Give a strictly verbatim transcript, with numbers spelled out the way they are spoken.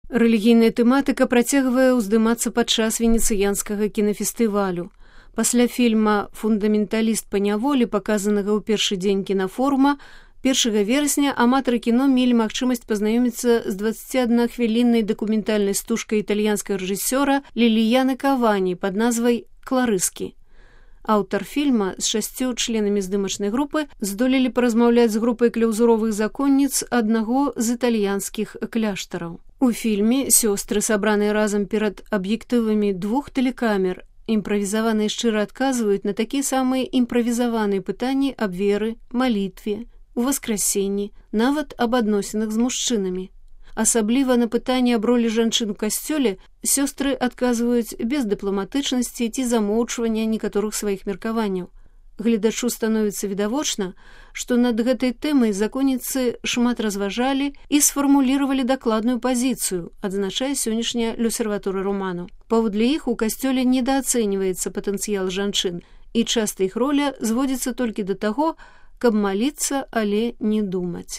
Рэлігійная тэматыка працягвае ўздымацца падчас венецыянскага кінафестывалю. Пасля фільма «Фундаменталіст па няволі», паказанага ў першы дзень кінафорума, першага верасня аматары кіно мелі магчымасць пазнаёміцца з дваццаціаднахвіліннай дакументальнай стужкай італьянскага рэжысёра Ліліяны Кавані пад назвай «Кларыскі». Аўтар фільма з шасцю членамі здымачнай групы здолелі паразмаўляць з групай кляўзуровых законніц аднаго з італьянскіх кляштараў. У фільме сёстры, сабраныя разам перад аб'ектывамі двух тэлекамер, імправізавана і шчыра адказваюць на такія самыя імправізаваныя пытанні аб веры, малітве, у васкрасенні, нават аб адносінах з мужчынамі. Асабліва на пытанні аб ролі жанчын у касцёле сёстры адказваюць без дыпламатычнасці ці замоўчвання некаторых сваіх меркаванняў. Гледачу становіцца відавочна, што над гэтай тэмай законніцы шмат разважалі і сфармуліравалі дакладную пазіцыю, адзначае сённяшняя L'Osservatore Romano. Паводле іх у касцёле недаацэньваецца патэнцыял жанчын, і часта іх роля зводзіцца толькі да таго, каб маліцца, але не думаць.